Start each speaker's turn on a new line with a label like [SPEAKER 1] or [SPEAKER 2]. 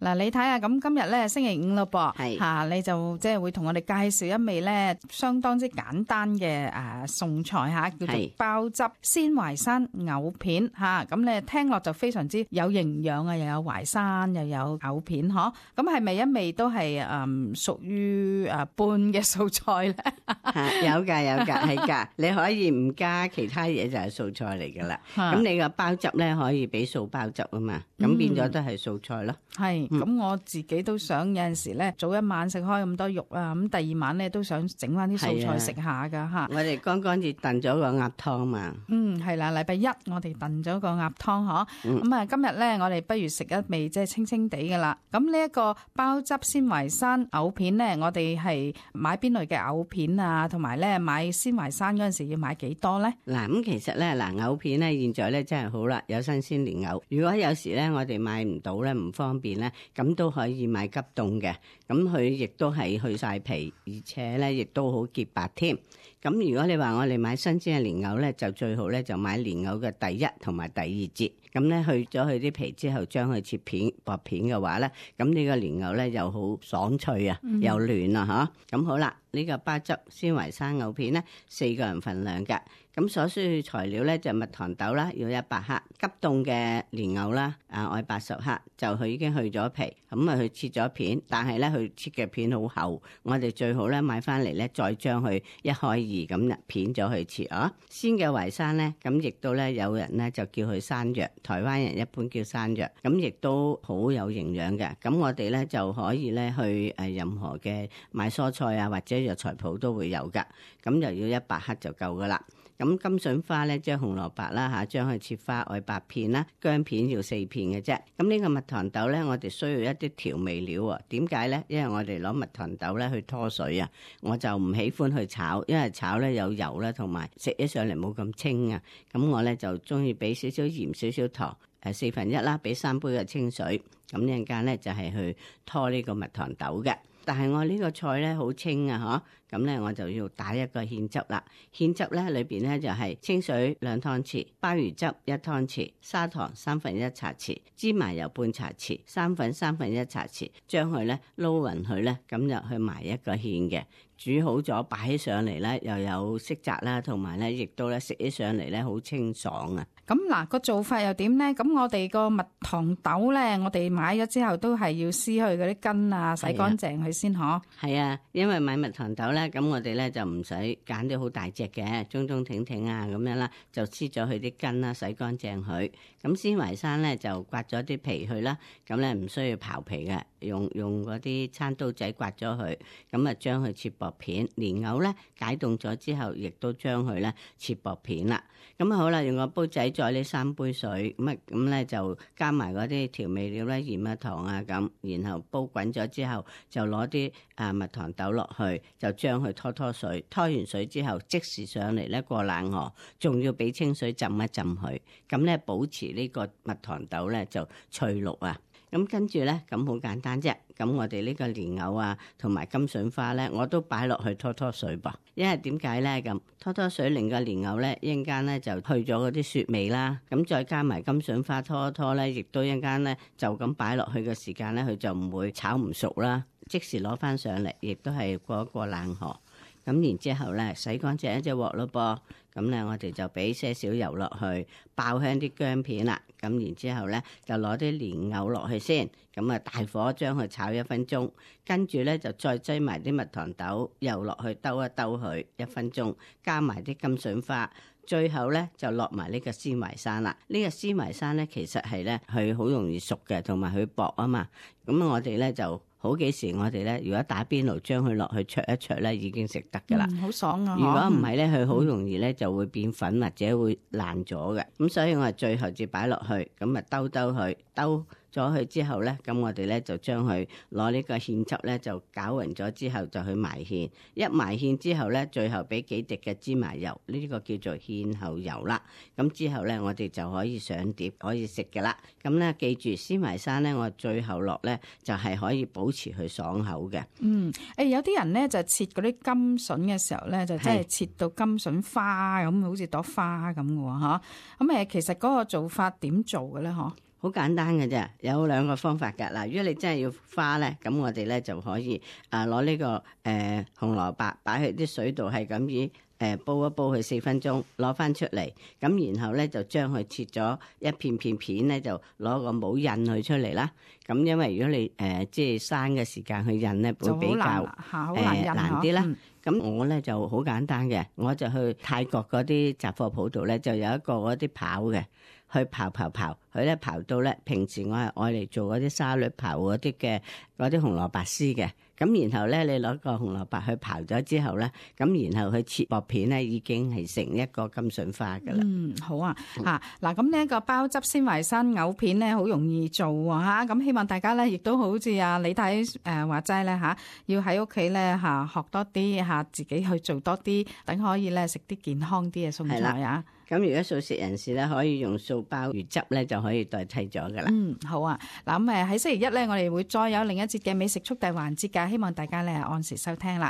[SPEAKER 1] 嗱，你睇下咁今日咧星期五咯噃，
[SPEAKER 2] 係
[SPEAKER 1] 嚇你就即係會同我哋介紹一味咧相當之簡單嘅餸菜嚇，叫做鮑汁鮮淮山藕片嚇。咁你聽落就非常之有營養啊，又有淮山又有藕片嗬。咁係咪一味都係屬於半嘅素菜咧？
[SPEAKER 2] 有㗎，係㗎。你可以唔加其他嘢就係素菜嚟㗎啦。咁你個鮑汁咧可以俾素鮑汁啊嘛，咁變咗都係素菜咯。
[SPEAKER 1] 係。咁我自己都想有陣時咧，早一晚食開咁多肉啊，咁第二晚咧都想整翻啲素菜食下噶吓。
[SPEAKER 2] 我哋剛剛至燉咗個鴨湯嘛。
[SPEAKER 1] 係啦，禮拜一我哋燉咗個鴨湯嗬。咁啊，今日咧我哋不如食一味即係清清地噶啦。咁呢一個鮑汁鮮淮山藕片咧，我哋係買邊類嘅藕片啊？同埋咧買鮮淮山嗰陣時要買幾多咧？
[SPEAKER 2] 嗱，咁其實咧藕片咧現在咧真係好啦，有新鮮蓮藕。如果有時咧我哋買唔到咧，唔方便咧。咁都可以買急凍嘅，咁佢亦都係去晒皮，而且咧亦都好潔白添。咁如果你話我哋買新鮮嘅蓮藕咧，就最好咧就買蓮藕嘅第一同埋第二節。咁咧去咗佢啲皮之後，將佢切片薄片嘅話咧，咁呢個蓮藕咧又好爽脆啊，又嫩啊吓。咁好啦，呢個鮑汁鮮淮山藕片咧，4個人份量嘅。咁所需要材料咧就蜜糖豆啦，要100克；急凍嘅蓮藕啦，愛80克，就佢已經去咗皮，咁啊佢切咗片，但係咧佢切嘅片好厚，我哋最好咧買翻嚟咧再將佢1開2咁片咗去切啊。鮮嘅淮山咧，咁亦都咧有人咧就叫佢山藥，台灣人一般叫山藥，咁亦都好有營養嘅。咁我哋咧就可以咧去任何嘅買蔬菜啊或者藥材鋪都會有噶，咁就要100克就夠噶啦。咁甘筍花咧，即係紅蘿蔔啦嚇，將佢切花愛8片啦，薑片要4片嘅啫。咁呢個蜜糖豆咧，我哋需要一啲調味料喎。點解咧？因為我哋攞蜜糖豆咧去拖水啊，我就唔喜歡去炒，因為炒咧有油啦，同埋食起上嚟冇咁清啊。咁我咧就中意俾少少鹽、少少糖，1/4啦，俾3杯嘅清水。咁一陣間咧就係去拖呢個蜜糖豆嘅。但係我呢個菜咧好清啊，咁咧我就要打一個芡汁啦。芡汁咧裏邊咧就係清水2湯匙，鮑魚汁1湯匙，砂糖1/3茶匙，芝麻油半茶匙，生粉1/3茶匙，將佢咧撈勻佢咧，咁就去埋一個芡嘅。煮好咗擺起上嚟咧，又有色澤啦，同埋咧亦都咧食起上嚟咧好清爽啊！
[SPEAKER 1] 咁嗱個做法又點咧？咁我哋個蜜糖豆咧，我哋買咗之後都係要撕去嗰啲根啊，洗乾淨佢先嗬。係
[SPEAKER 2] 啊，因為買蜜糖豆咧，咁我哋咧就唔使揀啲好大隻嘅，中中挺挺啊咁樣啦，就撕咗佢啲根啦，洗乾淨佢。咁鮮淮山咧就刮咗啲皮去啦，咁咧唔需要刨皮嘅，用嗰啲餐刀仔刮咗佢，咁啊將佢切薄片。蓮藕咧解凍咗之後，亦都將佢咧切薄片啦。咁好啦，用個煲仔再呢3杯水，咁咧就加埋嗰啲調味料咧，鹽啊糖啊咁，然後煲滾咗之後，就攞啲蜜糖豆落去，就將佢拖水，拖完水之後即時上嚟咧過冷河，仲要俾清水浸一浸佢，咁咧保持呢個蜜糖豆咧就翠綠啊。咁跟住咧，咁好簡單啫。咁我哋呢個蓮藕啊，同埋甘筍花咧，我都擺落去拖水噃。因為點解咧？咁拖水令個蓮藕咧，一陣間咧就去咗嗰啲雪味啦。咁再加埋甘筍花拖咧，亦都一陣間咧就咁擺落去嘅時間咧，佢就唔會炒唔熟啦。即時攞翻上嚟，亦都係過一過冷河。咁然之後咧，洗乾淨一隻鑊咯噃。咁咧，我哋就俾些少油落去，爆香啲薑片啦。咁然之後咧，就攞啲蓮藕落去先。咁啊，大火將佢炒1分鐘，跟住咧就再擠埋啲蜜糖豆，又落去兜一兜佢1分鐘，加埋啲甘筍花，最後咧就落埋呢個鮮淮山啦。呢個鮮淮山咧，其實係咧佢好容易熟嘅，同埋佢薄啊嘛。咁我哋咧就好幾時我哋咧，如果打邊爐將佢落去灼一灼咧，已經食得噶啦。好爽啊！如果唔係咧，佢好容易咧就會變粉或者會爛咗嘅。咁所以我係最後至擺落去，咁啊兜佢，兜咗佢之後咧，咁我哋咧就將佢攞呢個芡汁咧就攪勻咗之後就去埋芡，一埋芡之後咧，最後俾幾滴嘅芝麻油，呢個叫做芡後油啦。咁之後咧，我哋就可以上碟可以食嘅啦。咁咧記住鮮淮山咧，我最後落咧就係可以保持佢爽口嘅。
[SPEAKER 1] 有啲人咧就切嗰啲甘筍嘅時候咧，就真係切到甘筍花咁，好似朵花咁嘅喎嚇。咁其實嗰個做法點做嘅咧？嗬？
[SPEAKER 2] 好簡單嘅啫，有2個方法㗎。嗱，如果你真係要花咧，咁我哋咧就可以攞呢個紅蘿蔔擺喺啲水度，係咁以煲一煲佢4分鐘，攞翻出嚟，咁然後咧就將佢切咗一片片咧，就攞個模印佢出嚟啦。咁因為如果你即係生嘅時間去印咧，會比較難啲啦。咁我咧就好簡單嘅，我就去泰國嗰啲雜貨鋪度咧，就有一個嗰啲刨嘅，去刨，佢咧刨到咧，平時我係愛嚟做嗰啲沙律刨嗰啲嘅嗰啲紅蘿蔔絲嘅。咁然後咧，你攞個紅蘿蔔去刨咗之後咧，咁然後去切薄片咧，已經係成一個金筍花噶啦。
[SPEAKER 1] 好啊，嗱，咁呢一個鮑汁鮮淮山藕片咧，好容易做喎。咁希望大家咧，亦都好似李太話齋咧要喺屋企咧學多啲自己去做多啲，等可以咧食啲健康啲嘅餸菜啊。
[SPEAKER 2] 咁如果素食人士咧，可以用素鮑魚汁咧，就可以代替咗噶啦。
[SPEAKER 1] 好啊。嗱，咁喺星期一咧，我哋會再有另一節嘅美食速遞環節㗎，希望大家咧按時收聽啦。